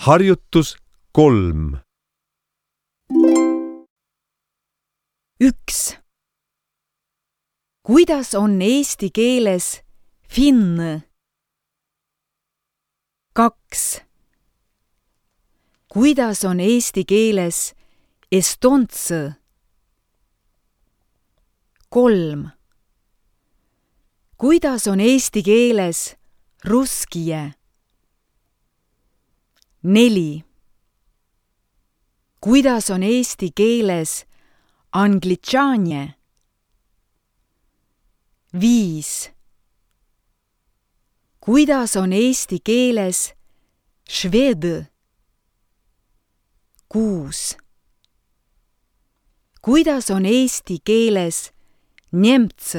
Harjutus 3. 1. Kuidas on eesti keeles finn? 2. Kuidas on eesti keeles estonts? 3. Kuidas on eesti keeles russkije? 4. Kuidas on eesti keeles anglitšaanje? 5. Kuidas on eesti keeles šved? 6. Kuidas on eesti keeles nemts?